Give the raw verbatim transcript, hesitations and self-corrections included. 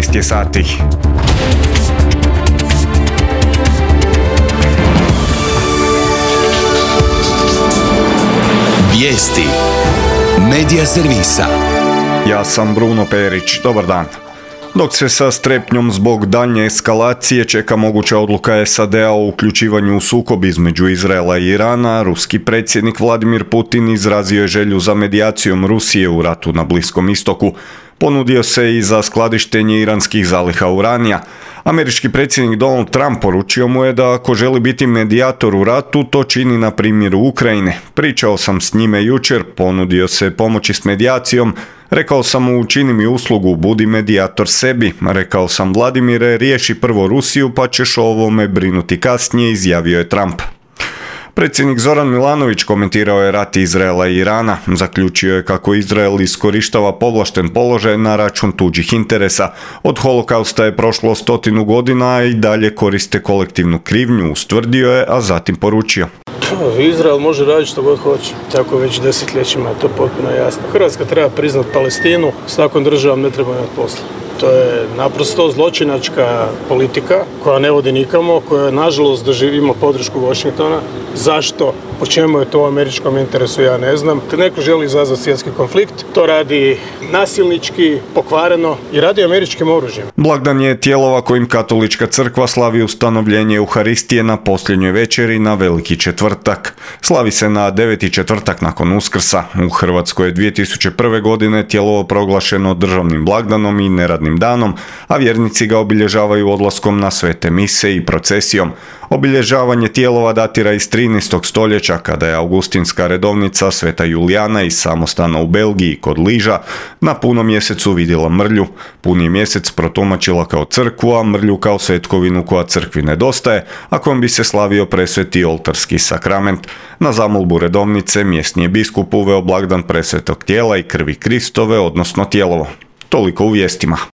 jedanaest je sati. Vijesti Medija servisa. Ja sam Bruno Perić, dobar dan. Dok se sa strepnjom zbog daljnje eskalacije čeka moguća odluka S A D-a o uključivanju u sukob između Izraela i Irana, ruski predsjednik Vladimir Putin izrazio je želju za medijacijom Rusije u ratu na Bliskom istoku. Ponudio se i za skladištenje iranskih zaliha uranija. Američki predsjednik Donald Trump poručio mu je da ako želi biti medijator u ratu, to čini na primjeru Ukrajine. Pričao sam s njime jučer, ponudio se pomoći s medijacijom. Rekao sam mu, učini mi uslugu, budi medijator sebi. Rekao sam, Vladimire, riješi prvo Rusiju pa ćeš o ovome brinuti kasnije, izjavio je Trump. Predsjednik Zoran Milanović komentirao je rat Izraela i Irana. Zaključio je kako Izrael iskorištava povlašten položaj na račun tuđih interesa. Od holokausta je prošlo stotinu godina, a i dalje koriste kolektivnu krivnju, ustvrdio je, a zatim poručio. Izrael može raditi što god hoće, tako već desetljećima, to je potpuno jasno. Hrvatska treba priznati Palestinu, s takvom državom ne treba imati posla. To je naprosto zločinačka politika koja ne vodi nikamo, koja nažalost doživimo podršku Washingtona. Zašto? Po čemu je to u američkom interesu, ja ne znam. Kad neko želi izazvati svjetski konflikt, to radi nasilnički, pokvareno i radi američkim oružjem. Blagdan je tijelova kojim katolička crkva slavi ustanovljenje Euharistije na posljednjoj večeri na Veliki četvrtak. Slavi se na deveti četvrtak nakon Uskrsa. U Hrvatskoj je dvije tisuće prve. godine tijelovo proglašeno državnim blagdanom i neradnim danom, a vjernici ga obilježavaju odlaskom na svete mise i procesijom. Obilježavanje tijelova datira iz trinaestog stoljeća, kada je augustinska redovnica Sveta Julijana iz samostana u Belgiji kod Liža na punom mjesecu vidjela mrlju. Puni mjesec protumačila kao crkvu, a mrlju kao svetkovinu koja crkvi nedostaje, a kojom bi se slavio presveti oltarski sakrament. Na zamolbu redovnice mjesni je biskup uveo blagdan presvetog tijela i krvi Kristove, odnosno tijelovo. Toliko u vijestima.